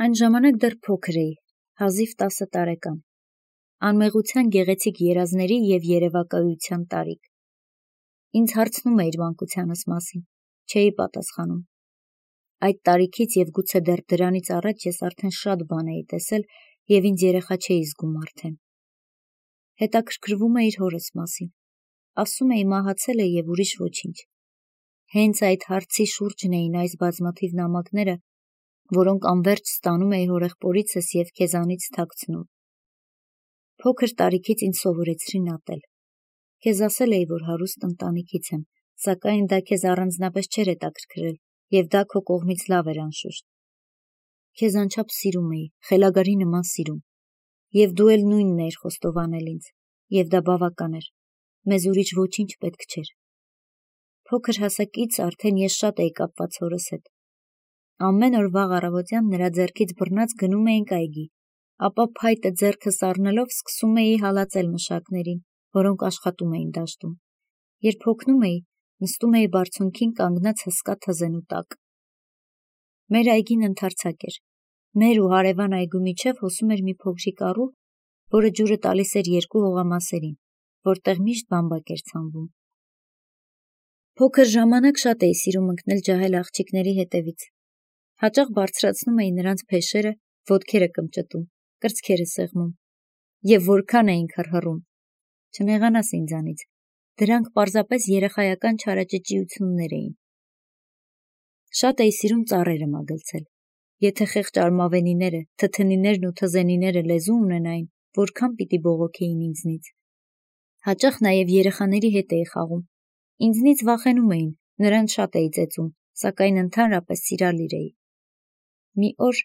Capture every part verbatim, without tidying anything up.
Այն ժամանակ դեռ փոքր էի, հազիվ տասը տարեկան, անմեղության գեղեցիկ երազների և երևակայության տարիք։ Ինձ հարցնում էիր մանկությանս մասին, չէի պատասխանում։ Այդ տարիքից և գուցե դեռ դրանից առաջ ես արդեն շատ բան էի տեսել և ինձ երեխա չէի զգում արդեն։ Հետաքրքրվում էիր հորս մասին, ասում էի մահացել է և ուրիշ ոչինչ։ Հենց այդ հարցի շուրջն էին այս բազմաթիվ նամակները, որոնք անվերջ ստանում էի հորեղբորիցս և քեզանից թաքցնում։ Փոքր տարիքից ինձ սովորեցրին ատել։ Քեզ ասել էի, որ հարուստ ընտանիքից եմ, սակայն դա քեզ առանձնապես չէր հետաքրքրել, և դա քո կողմից լավ էր անշուշտ։ Քեզ անչափ սիրում էի, խելագարի նման սիրում, և դու էլ նույնն էիր խոստովանել ինձ, և դա բավական էր, մեզ ուրիշ ոչինչ պետք չէր։ Փոքր հասակից արդեն ես շատ էի կապված հորս հետ։ Ամեն օր վաղ առավոտյան նրա ձեռքից բռնած գնում էինք այգի, ապա փայտը ձեռքս առնելով սկսում էի հալածել մշակներին, որոնք աշխատում էին դաշտում։ Երբ հոգնում էի, նստում էի բարձունքին կանգնած հսկա թզենու տակ։ Մեր այգին ընդարձակ էր։ Մեր ու հարևան այգու միջև հոսում էր մի փոքրիկ առու, որը ջուրը տալիս էր երկու հողամասերին, որտեղ միշտ բամբակ էր ցանվում։ Փոքր ժամանակ շատ էի սիրում ընկնել ջահել աղջիկների հետևից։ Հաճախ բարձրացնում էի նրանց փեշերը, ոտքերը կմճտում, կրծքերը սեղմում։ Եվ որքան էինք հռհռում։ Չնեղանաս ինձանից, դրանք պարզապես երեխայական չարաճճիություններ էին։ Շատ էի սիրում ծառերը մագլցել։ Եթե խեղճ արմավենիները, թթնիներն ու թզենիները լեզու ունենային, որքան պիտի բողոքեին ինձնից։ Հաճախ նաև երեխաների հետ էի խաղում։ Ինձնից վախենում էին, նրանց շատ էի ծեծում, սակայն ընդհանրապես սիրալիր էի։ Մի օր,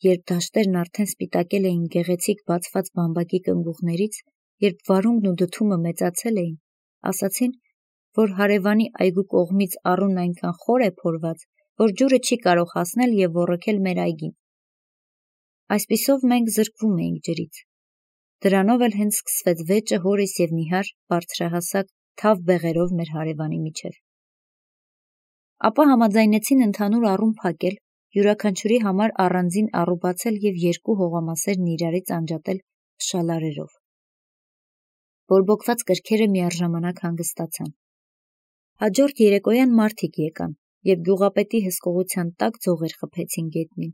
երբ դաշտերն արդեն սպիտակել էին գեղեցիկ բացված բամբակի կնգուղներից, երբ վարունգն ու դդումը մեծացել էին, ասացին, որ հարևանի այգու կողմից առուն այնքան խոր է փորված, որ ջուրը չի կարող հասնել և ոռոգել մեր այգին։ Այսպիսով մենք զրկվում էինք ջրից։ Դրանով էլ հենց սկսվեց վեճը հորիս և նիհար, բարձրահասակ, թավ բեղերով մեր հարևանի միջև։ Ապա համաձայնեցին ընդհանուր առում փակել, յուրաքանչյուրի համար առանձին առու բացել և երկու հողամասերն իրարից անջատել փշալարերով։ Բորբոքված կրքերը միառժամանակ հանգստացան։ Հաջորդ երեկոյան մարդիկ եկան և գյուղապետի հսկողության տակ ձողեր խփեցին գետնին,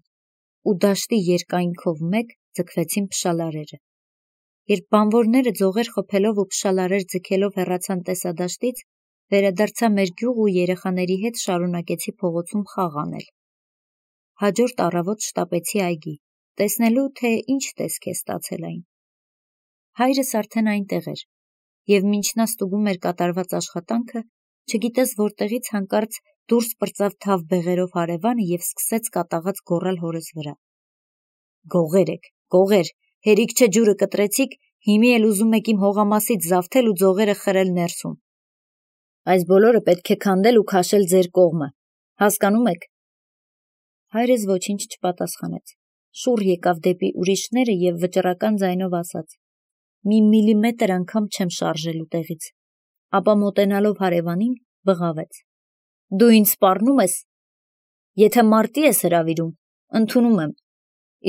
ու դաշտի երկայնքով մեկ ձգվեցին փշալարերը։ Երբ բանվորները ձողեր խփելով ու փշալարեր ձգելով հեռացան տեսադաշտից, վերադարձա մեր գյուղ ու երեխաների հետ շարունակեցի փողոցում խաղ անել։ Հաջորդ առավոտ շտապեցի այգի, տեսնելու, թե ինչ տեսք է ստացել այն։ Հայրս արդեն այնտեղ էր, և մինչ նա ստուգում էր կատարված աշխատանքը, չգիտես որտեղից հանկարծ դուրս պրծավ թավ բեղերով հարևանը և սկսեց կատաղած գոռալ հորս վրա. «Գողեր եք, գողեր, հերիք չէ ջուրը կտրեցիք, հիմի էլ ուզում եք իմ հողամասից զավթել ու ձողերը խրել ներսում։ Այս բոլորը պետք է քանդել ու քաշել ձեր կողմը, հասկանում եք»։ Հայրս ոչինչ չպատասխանեց, շուռ եկավ դեպի ուրիշները և վճռական ձայնով ասաց. «Մի միլիմետր անգամ չեմ շարժելու տեղից», ապա մոտենալով հարևանին, բղավեց. «Դու ինձ սպառնո՞ւմ ես։ Եթե մարտի ես հրավիրում, ընդունում եմ,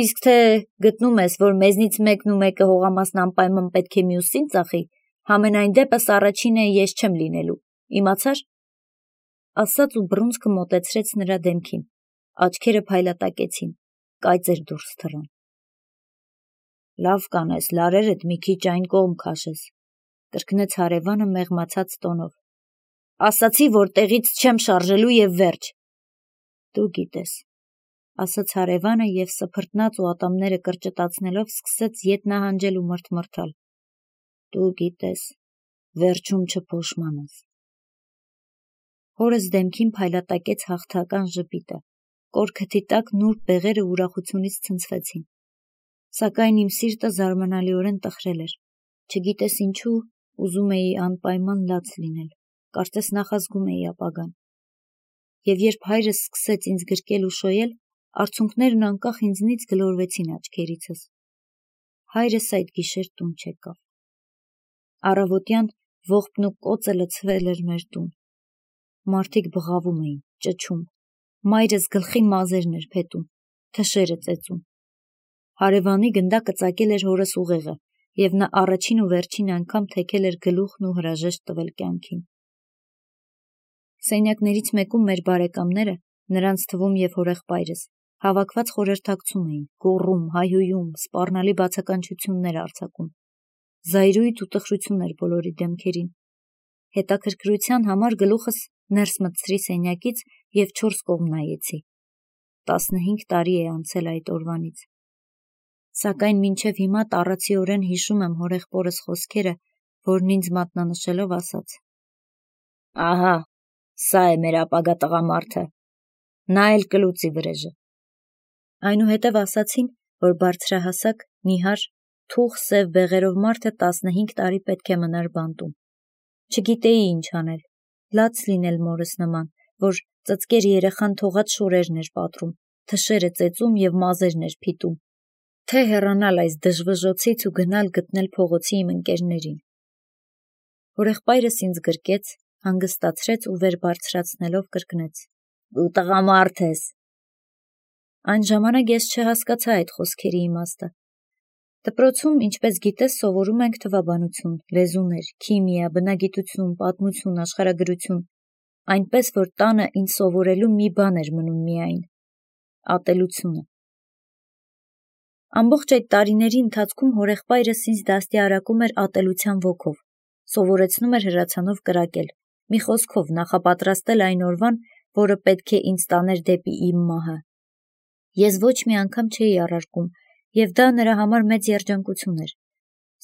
իսկ թե գտնում ես, որ մեզնից մեկն ու մեկը հողամասն անպայման պետք է մյուսին ծախի, համենայն դեպս առաջինը ես չեմ լինելու, իմացա՞ր»։ Ասաց ու բռունցքը մոտեցրեց նրա դեմքին, աչքերը փայլատակեցին, կայծեր դուրս թռան։ «Լավ կանես, լարերդ մի քիչ այն կողմ քաշես», կրկնեց հարևանը մեղմացած տոնով։ «Ասացի, որ տեղից չեմ շարժելու և վերջ»։ «Դու գիտես», ասաց հարևանը և սփռտնաց ու ատամները կրճտացնելով սկսեց ետ նահանջել ու մռթմռթալ։ «Դու գիտես, վերջում չփոշմանես»։ Հորս դեմքին փայլատակեց հաղթական ժպիտը, կորքթի տակ նուրբ բեղերը ուրախությունից ցնցվեցին։ Սակայն իմ սիրտը զարմանալիորեն տխրել էր, չգիտես ինչու ուզում էի անպայման լաց լինել, կարծես նախազգում էի ապագան։ Եվ երբ հայրս սկսեց ինձ գրկել ու շոյել, արցունքներն անկախ ինձնից գլորվեցին աչքերիցս։ Հայրս այդ գիշեր տուն չեկավ։ Առավոտյան ողբն ու կոծը լցվել էր մեր տուն։ Մարդիկ բղավում էին, ճչում, մայրս գլխի մազերն էր փետում, թշերը ծեծում, Հարևանի գնդակը ծակել էր հորս ուղեղը, և նա առաջին ու վերջին անգամ թեքել էր գլուխն ու հրաժեշտ տվել կյանքին։ Սենյակներից մեկում մեր բարեկամները, նրանց թվում և հորեղբայրս, հավաքված խորհրդակցում էին, գոռում, հայհոյում, սպառնալի բացականչություններ արձակում։ Զայրույթ ու տխրություն էր բոլորի դեմքերին։ Հետաքրքրության համար գլուխս ներս մտցրի սենյակից և չորս կողմ նայեցի։ Տասնհինգ տարի է անցել այդ օրվանից։ Սակայն մինչև հիմա տառացիորեն հիշում եմ հորեղբորս խոսքերը, որն ինձ մատնանշելով ասաց. «Ահա, սա է մեր ապագա տղամարդը, նա էլ կլուծի վրեժը»։ Այնուհետև ասացին, որ բարձրահասակ, նիհար, թուխ սև բեղերով մարդը տասնհինգ տարի պետք է մնար բանտում։ Չգիտեի ինչ անել, լաց լինել մորս նման, որ ծծկեր երեխան թողած շորերն էր պատռում, թշերը ծեծում և մազերն էր փիտում, թե հեռանալ այս դժվժոցից ու գնալ գտնել փողոցի իմ ընկերներին։ Հորեղբայրս ինձ գրկեց, հանգստացրեց ու վեր բարձրացնելով կրկնեց. «Դու տղամարդ ես»։ Այն ժամանակ ես չհասկացա այդ խոսքերի իմաստը։ Դպրոցում, ինչպես գիտես, սովորում ենք թվաբանություն, լեզուներ, քիմիա, բնագիտություն, պատմություն, աշխարհագրություն, այնպես որ տանը ինձ սովորելու մի բան էր մնում միայն՝ ատելությունը։ Ամբողջ այդ տարիների ընթացքում հորեղբայրս ինձ դաստիարակում էր ատելության ոգով, սովորեցնում էր հրացանով կրակել, մի խոսքով նախապատրաստել այն օրվան, որը պետք է ինձ տաներ դեպի իմ մահը։ Ես ոչ մի անգամ չէի առարկում, և դա նրա համար մեծ երջանկություն էր։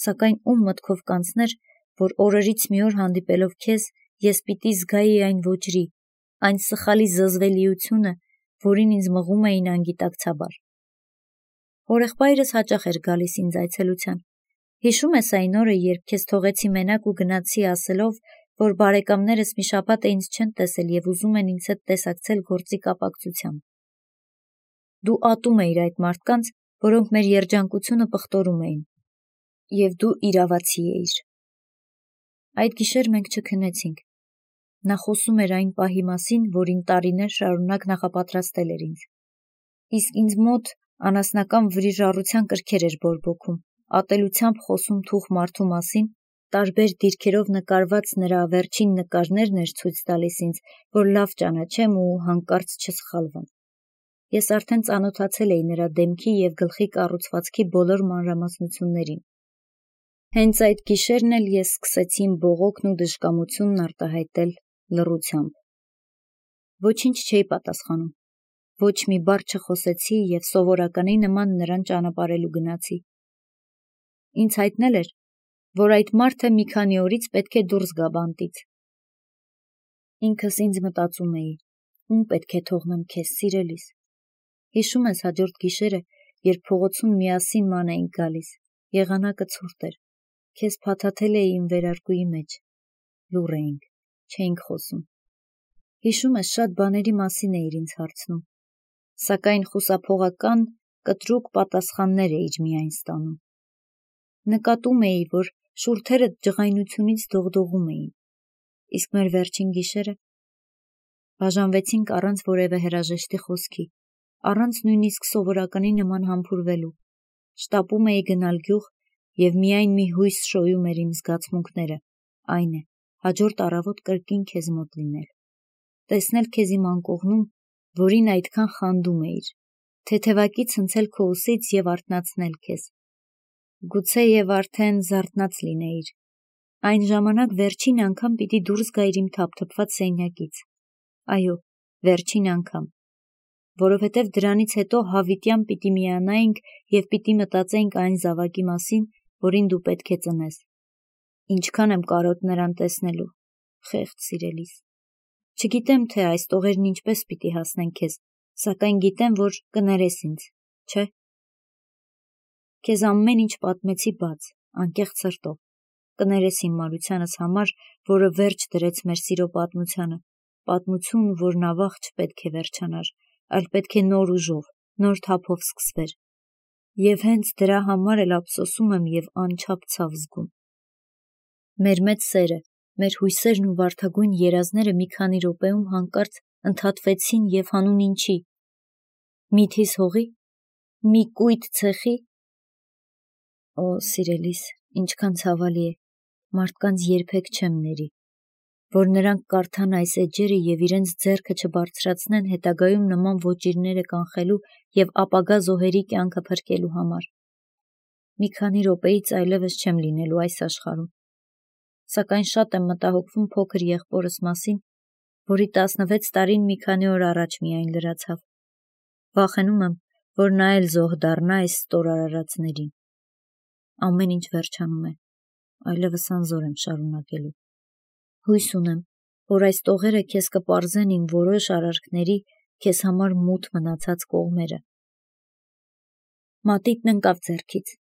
Սակայն ում մտքով կանցներ, որ օրերից մի օր հանդիպելով քեզ, ես պիտի զգայի այն ոճրի, այն սխալի զզվելիությունը, որին ինձ մղում էին անգիտակցաբար։ Հորեղբայրս հաճախ էր գալիս ինձ այցելության։ Հիշում ես այն օրը, երբ քեզ թողեցի մենակ ու գնացի ասելով, որ բարեկամներս մի շաբաթ է ինձ չեն տեսել և ուզում են ինձ հետ տեսակցել գործի կապակցությամբ։ Դու ատում էիր այդ մարդկանց, որոնք մեր երջանկությունը պղտորում էին, և դու իրավացի էիր։ Այդ գիշեր մենք չքնեցինք։ Նա խոսում էր այն պահի մասին, որին տարիներ շարունակ նախապատրաստել էր ինձ։ Իսկ ինձ մոտ անասնական վրիժառության կրքեր էր բորբոքում, ատելությամբ խոսում թուխ մարդու մասին, տարբեր դիրքերով նկարված նրա վերջին նկարներն էր ցույց տալիս ինձ, որ լավ ճանաչեմ ու հանկարծ չսխալվեմ։ Ես արդեն ծանոթացել էի նրա դեմքի և գլխի կառուցվածքի բոլոր մանրամասնություններին։ Հենց այդ գիշերն էլ ես սկսեցի իմ բողոքն ու դժկամությունն արտահայտել լռությամբ։ Ոչինչ չէի պատասխանում, ոչ մի բառ չխոսեցի և սովորականի նման նրան ճանապարհելու գնացի։ Ինձ հայտնել էր, որ այդ մարդը մի քանի օրից պետք է դուրս գա բանտից։ Ինքս ինձ մտածում էի, ում պետք է թողնեմ քեզ, սիրելիս։ Հիշում ես հաջորդ գիշերը, երբ փողոցում միասին ման էինք գալիս, եղանակը ցուրտ էր, քեզ փաթաթել էի իմ վերարկուի մեջ, լուռ էինք, չէինք խոսում։ Հիշում ես, շատ բաների մասին էիր ինձ հարցնում, սակայն խուսափողական, կտրուկ պատասխաններ էիր միայն ստանում։ Նկատում էի, որ շուրթերդ ջղայնությունից դողդողում էին։ Իսկ մեր վերջին գիշերը բաժանվեցինք առանց որևէ հրաժեշտի խոսքի, առանց նույնիսկ սովորականի նման համբուրվելու։ Շտապում էի գնալ գյուղ և միայն մի հույս շոյում էր իմ զգացմունքները, այն է, հաջորդ առավոտ կրկին քեզ մոտ լինել, տեսնել քեզ իմ անկողնում, որին այդքան խանդում էիր, թեթևակի ցնցել քո ուսից և արթնացնել քեզ։ Գուցեև արդեն զարթնած լինեիր։ Այն ժամանակ վերջին անգամ պիտի դուրս գայիր իմ թափթփված սենյակից։ Այո, վերջին անգամ, որովհետև դրանից հետո հավիտյան պիտի միանայինք և պիտի մտածեինք այն զավակի մասին, որին դու պետք է ծնես։ Ինչքան եմ կարոտ նրան տեսնելու, խեղճ սիրելիս։ Չգիտեմ, թե այս տողերն ինչպես պիտի հասնեն քեզ, սակայն գիտեմ, որ կներես ինձ, չէ՞։ Քեզ ամեն ինչ պատմեցի բաց, անկեղծ սրտով, կներես իմ մարությանս համար, որը վերջ դրեց մեր սիրո պատմությանը, պատմություն, որն ավաղ չպետք է վերջանար, այլ պետք է նոր ուժով, նոր թափով սկսվեր։ Եվ հենց դրա համար էլ ափսոսում եմ և անչափ ցավ զգում։ Մեր մեծ սերը, մեր հույսերն ու վարդագույն երազները մի քանի րոպեում հանկարծ ընդհատվեցին և հանուն ինչի։ Միթիս հողի՞, Մի կույտ ցեխի։ Օ, սիրելիս, ինչքան ցավալի է, մարդկանց երբեք չեմ ների, որ նրանք կարդան այս էջերը և իրենց ձեռքը չբարձրացնեն հետագայում նման ոճիրները կանխելու և ապագա զոհերի կյանքը փրկելու համար։ Մի քանի րոպեից այլևս չեմ լինելու այս աշխարհում, սակայն շատ եմ մտահոգվում փոքր եղբորս մասին, որի տասնվեց տարին մի քանի օր առաջ միայն լրացավ։ Վախենում եմ, որ նա էլ զոհ դառնա այս ստոր արարածներին։ Ամեն ինչ վերջանում է, այլևս անզոր եմ շարունակելու։ Հույս ունեմ, որ այս տողերը քեզ կպարզեն իմ որոշ արարքների քեզ համար մութ մնացած կողմերը։ Մատիտն ընկավ ձեռքից,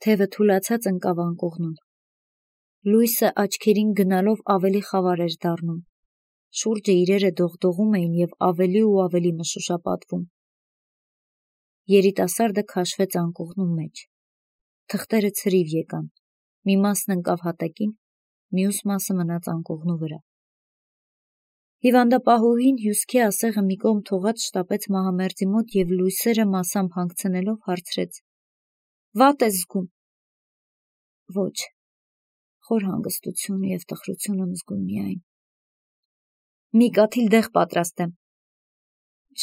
թևը թուլացած ընկավ անկողնում։ Լույսը աչքերին գնալով ավելի խավար էր դառնում։ Շուրջը իրերը դողդողում էին և ավելի ու ավելի մշուշապատվում։ Երիտասարդը քաշվեց անկողնու մեջ։ Թղթերը ցրիվ եկան, մի մասն ընկավ հատակին, մյուս մասը մնաց անկողնու վրա։ Հիվանդապահուհին հյուսքի ասեղը մի կողմ թողած շտապեց մահամերձի մոտ և լույսերը մասամբ հանգցնելով հարցրեց. Վատ ես զգում։ Ոչ, խոր հանգստություն և տխրություն եմ զգում միայն։ Մի կաթիլ դեղ պատրաստեմ։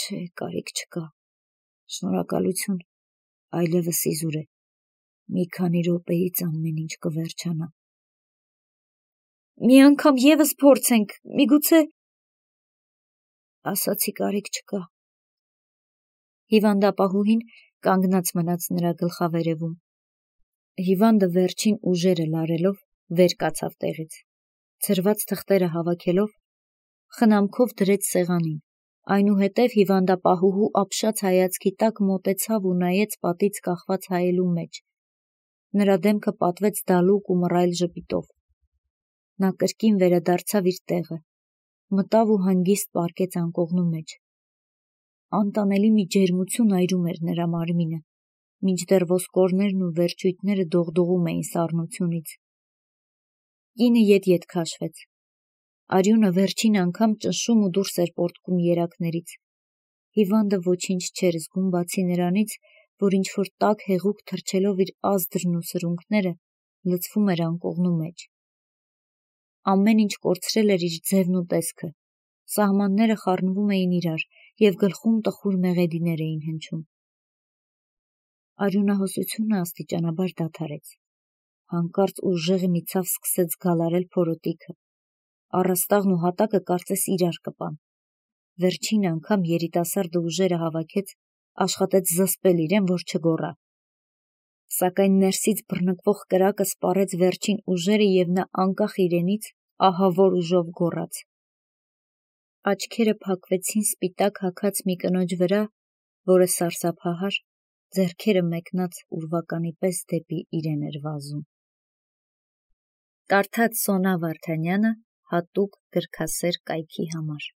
Չէ, կարիք չկա։ Շնորհակալություն, այլևս իզուր է։ Մի քանի րոպեից ամեն ինչ կվերջանա։ Մի անգամ ևս փորձենք, միգուցե… Ասացի կարիք չկա։ Հիվանդապահուհին կանգնած մնաց նրա գլխավերևում։ Հիվանդը վերջին ուժերը լարելով վեր կացավ տեղից, ցրված թղթերը հավաքելով, խնամքով դրեց սեղանին, այնուհետև հիվանդապահուհու ապշած հայացքի տակ մոտեցավ ու նայեց պատից կախված հայելու մեջ։ Նրա դեմքը պատվեց դալուկ ու մռայլ ժպիտով։ Նա կրկին վերադարձավ իր տեղը, մտավ ու հանգիստ պառկեց անկողնու մեջ։ Անտանելի մի ջերմություն այրում էր նրա մարմինը, մինչդեռ ոսկորներն ու վերջույթները դողդողում էին սառնությունից։ Կինը ետ-ետ քաշվեց։ Արյունը վերջին անգամ ճնշում ու դուրս էր պոռթկում երակներից։ Հիվանդը ոչինչ չէր զգում բացի նրանից, որ ինչ-որ տաք հեղուկ թռչելով իր ազդրն ու սրունքները լցվում էր անկողնու մեջ։ Ամեն ինչ կորցրել էր իր ձևն ու տեսքը, սահմանները խառնվում էին իրար և գլխում տխուր մեղեդիներ էին հնչում։ Արյունահոսությունը աստիճանաբար դադարեց։ Հանկարծ ուժեղ մի ցավ սկսեց գալարել փորոտիքը։ Առաստաղն ու հատակը կարծես իրար կպան։ Վերջին անգամ երիտասարդը ուժերը հավաքեց, աշխատեց զսպել իրեն, որ չգոռա։ Սակայն ներսից բռնկվող կրակը սպառեց վերջին ուժերը և նա անկախ իրենից ահավոր ուժով գոռաց։ Աչքերը փակվեցին սպիտակ հագած մի կնոջ վրա, որը սարսափահար, ձեռքերը մեկնած ուրվականի պես դեպի իրեն էր վազում։ Կարդաց Սոնա Վարդանյանը հատուկ գրքասեր կայքի համար։